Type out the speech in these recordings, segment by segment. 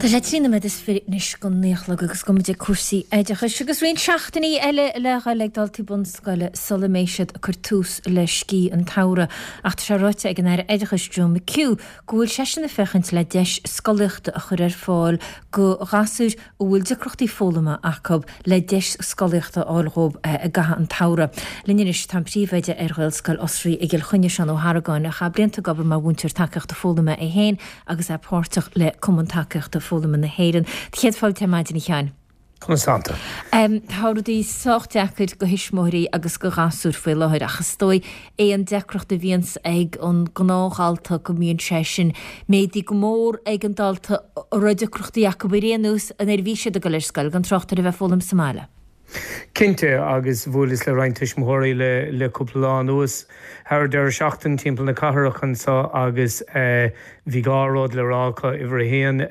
Tá sé 23 nóiméad anois go 9 a chlog agus gabhfaidh muid ag cúrsaí oideachais agus roinnt seachtainí eile le dhul ag daltaí bunscoile sula mbeidh siad ag cur tús le scíth an tsamhraidh. Ach tá sé ráite ag an Aire Oideachais Joe McHugh go bhfuil seisean ag féachaint le deis scolaíochta a chur ar fáil go ghasúir a bhfuil deacrachtaí foghlama acu le deis scolaíochta a fháil dhóibh i gcaitheamh an tsamhraidh. Linn anois tá an príomhoide ar Ghaelscoil Osraí i gCill Chainnigh, Seán Ó hArgáin, a chaith blianta ag obair mar mhúinteoir tacaíochta foghlama é féin agus é páirteach le Cumann Tacaíochta Foghlama na hÉireann. Céad fáilte ar maidin, a Sheáin. Conas tánn tú? Tá rudaí sách deacair go thuismitheoirí agus go ghasúir faoi láthair ach is dóigh aon deacracht a bhíonns ag an gnáthdhalta go mbíonn sé sin méadaithe go mór ag an dalta a raibh deacrachtaí acu ar aon nós nuair a bhí siad ag dul ar scoil, gan trácht ar a bheith ag foghlaim sa mbaile. Cinnte, agus bhuaileas le roinnt tuismitheoirí le cúpla lá anuas thar deireadh seachtaine timpeall na cathrach anseo agus bhí dhá rud le rá acu. Uimhir a haon,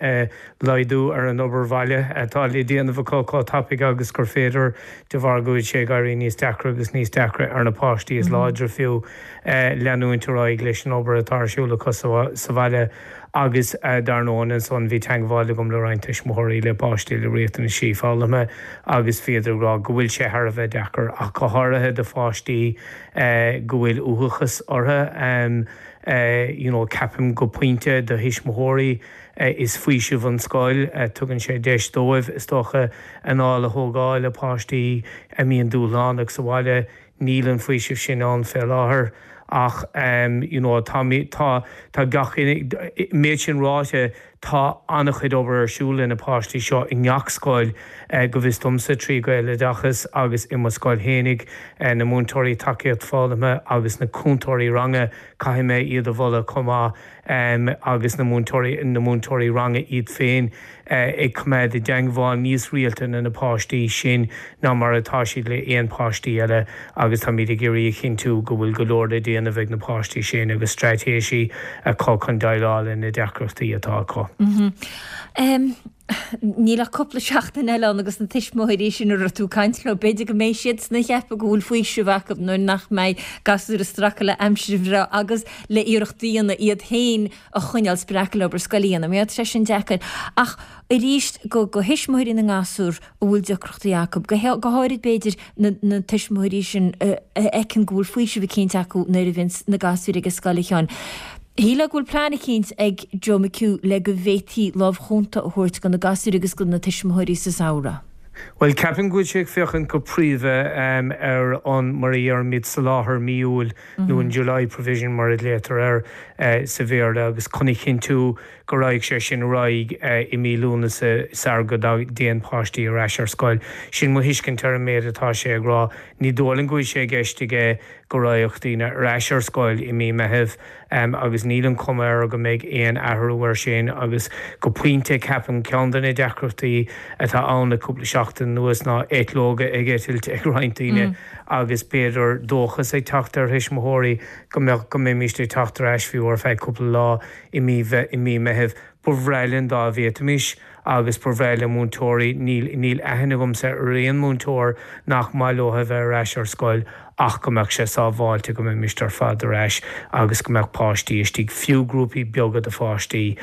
laghdú ar an obair bhaile atá le déanamh acu chomh tapaidh agus gur féidir de bharr go bhfuil sé ag éirí níos deacra agus níos deacra ar na páistí is láidre fiú leanúint ar aghaidh leis an obair atá ar siúl acu sa bhaile agus dar ndóigh ansan bhí teangmháil agam le roinnt tuismitheoirí le páistí le riachtanaisí foghlama agus bhíodar ag rá go bhfuil sé thar a bheith deacair ach go háirithe do pháistí go bhfuil uathachas orthu you know ceapaim go pointe do thuismitheoirí Is faoiseamh an scoil. Tugann sé deis dóibh, is dócha, anáil a thógáil le páistí a mbíonn dúshlánach sa bhaile. Níl an faoiseamh sin ann fé láthair ach you know tá, tá, tá gach, méid sin ráite, tá an-chuid obair ar siúl le na páistí seo i ngach scoil, go bhfios domsa, trí Ghaeloideachas agus i mo scoil fhéinig, na múinteoirí tacaíocht foghlama agus na cúntóirí ranga, caithfidh mé iad a mholadh chomh maith. agus na múinteoirí, na múinteoirí ranga iad féin ag coimeád i dteangmháil níos rialta le na páistí sin ná mar atá siad le aon páistí eile agus táimid ag iarraidh a chinntiú go bhfuil go leor le déanamh ag na páistí sin agus straitéisí acu chun déileáil le na deacrachtaí atá acu. Níl ach cúpla seachtain eile ann agus na tuismitheoirí sin a raibh tú ag caint leo, b'fhéidir go mbeidh siadsan ag ceapadh go bhfuil faoiseamh acu nuair nach mbeidh gasúir ag stracadh le aimsir bhreá agus le iarracht a dhéanamh iad féin a choinneáil spreagtha le obair scoile a dhéanamh. Mar tá sé sin deacair. Ach arís, go thuismitheoirí na ngasúr a bhfuil deacrachtaí acu, go háirid b'fhéidir na tuismitheoirí sin a fheiceann go bhfuil faoiseamh eicínt acu nuair a bhíonns na gasúir ag an scoil, a Sheáin. Shílfeá go bhfuil plean eicínt ag Joe McHugh le go bhféadfaí lámh chúnta a thabhairt do na gasúir agus do na tuismitheoirí sa samhradh. Bhuel, ceapaim go bhfuil sé ag féachaint go príomha ar an, mar a dheirimid, soláthar mí Iúil nó an July provision mar a ghlaotar air sa Bhéarla agus chun a chinntiú go raghaidh sé sin ar aghaidh i mí Lúnasa sar go dtéann páistí ar ais ar scoil. Sin mo thuiscint ar an méid atá sé ag rá. Ní dóigh liom go bhfuil sé i gceist aige go raghadh daoine ar ais ar scoil i mí Meithimh agus níl an chuma air go mbeidh aon athrú air sin agus go pointe ceapaim ceann de na deacrachtaí atá ann le cúpla seachtain anuas ná eitleoga ag eitilt ag roinnt daoine agus b'fhéidir dóchas ag teacht ar thuismitheoirí go mbeadh go mbeimíst ag teacht ar ais fiú ar feadh cúpla lá i mí i mí Meithimh. Ba bhreá linn dá bhféadfaimis agus ba bhreá le múinteoirí, níl, níl aithne agamsa ar aon mhúinteoir nach maith leo a bheith ar ais ar scoil ach go mbeadh sé sábháilte go mbeimist ar fad ar ais agus go mbeadh páistí istigh, fiú grúpaí beaga de pháistí,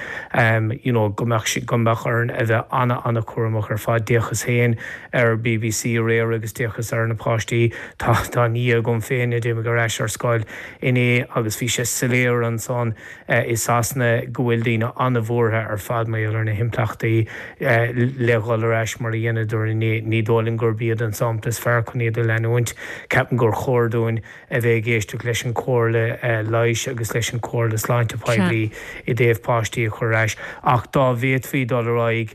you know go mbeadh sé, go mbeadh orainn a bheith ana-ana-chúramach ar fad. D'fhéachas féin ar bbc aréir agus d'fhéachas ar na páistí, tá, tá nia agam féin a d'imigh ar ais ar scoil inné agus bhí sé soiléir ansan i Sasana go bhfuil daoine an-bhuartha ar fad mar gheall ar na himpleachtaí le dhul ar ais mar a dheineadar inné. Ní dóigh liom gurb iad an sampla is fearr chun iad a leanúint. Ceapaim gur chóir dúinn a bheith ag éisteacht leis an chomhairle leighis agus leis an chomhairle sláinte poiblí i dtaobh páistí a chur ar ais. Ach dá bhféadfaí dul ar aghaidh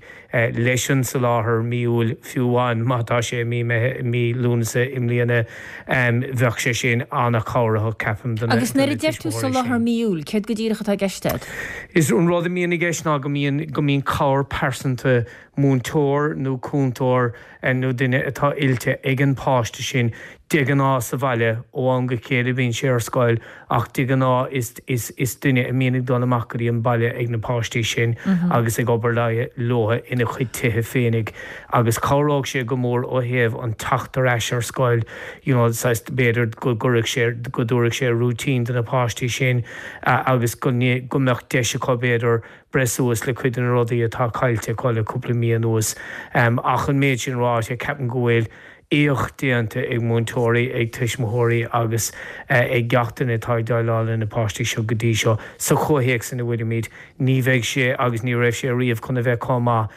leis an soláthar mí Iúil, fiú amháin má tá sé i mí Lúnasa i mbliana, bheadh sé sin an-chabhraitheach, ceapaim, do na Agus nuair a deir tú tuismitheoirí sin. soláthar mí Iúil, céard go díreach atá i gceist agat? Is an rud a mbíonn i gceist ná go mbíonn, go mbíonn cabhair pearsanta. múinteoir nó cúntóir nó duine atá oilte ag an páiste sin de ghnáth sa bhaile, ó am go chéile bíonn sé ar scoil ach de ghnáth is is is duine a mbíonn ag dul amach go dtí an baile ag na páistí sin agus ag obair leo ina chuid tithe féinig agus chabhródh sé go mór ó thaobh an teacht ar ais ar scoil you know saghas b'fhéidir go gcuirfeadh sé go dtabharfadh sé routine do na páistí sin agus go go mbeadh deis acu b'fhéidir breith suas le cuid de na rudaí atá caillte acu le cúpla mí anuas. Ach an méid sin ráite, ceapaim go bhfuil éacht déanta ag múinteoirí, ag tuismitheoirí agus ag gach duine atá ag déileáil le na páistí seo go dtí seo. Sa chomhthéacs ina bhfuilimid, ní bheidh sé agus ní raibh sé riamh chun a bheith chomh maith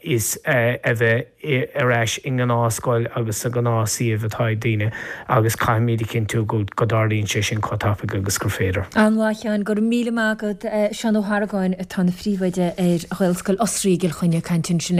is a bheith ar ais i ngnáthscoil agus sa ghnáthshuíomh atá ag daoine agus caithfimid a chinntiú go dtarlaíonn sé sin chomh tapaidh agus gur féidir. An-mhaith, a Sheáin. Go raibh míle maith agat. Seán Ó hArgáin atá ina phríomhoide ar Ghaelscoil Osraí i gCill Chainnigh ag caint ansin.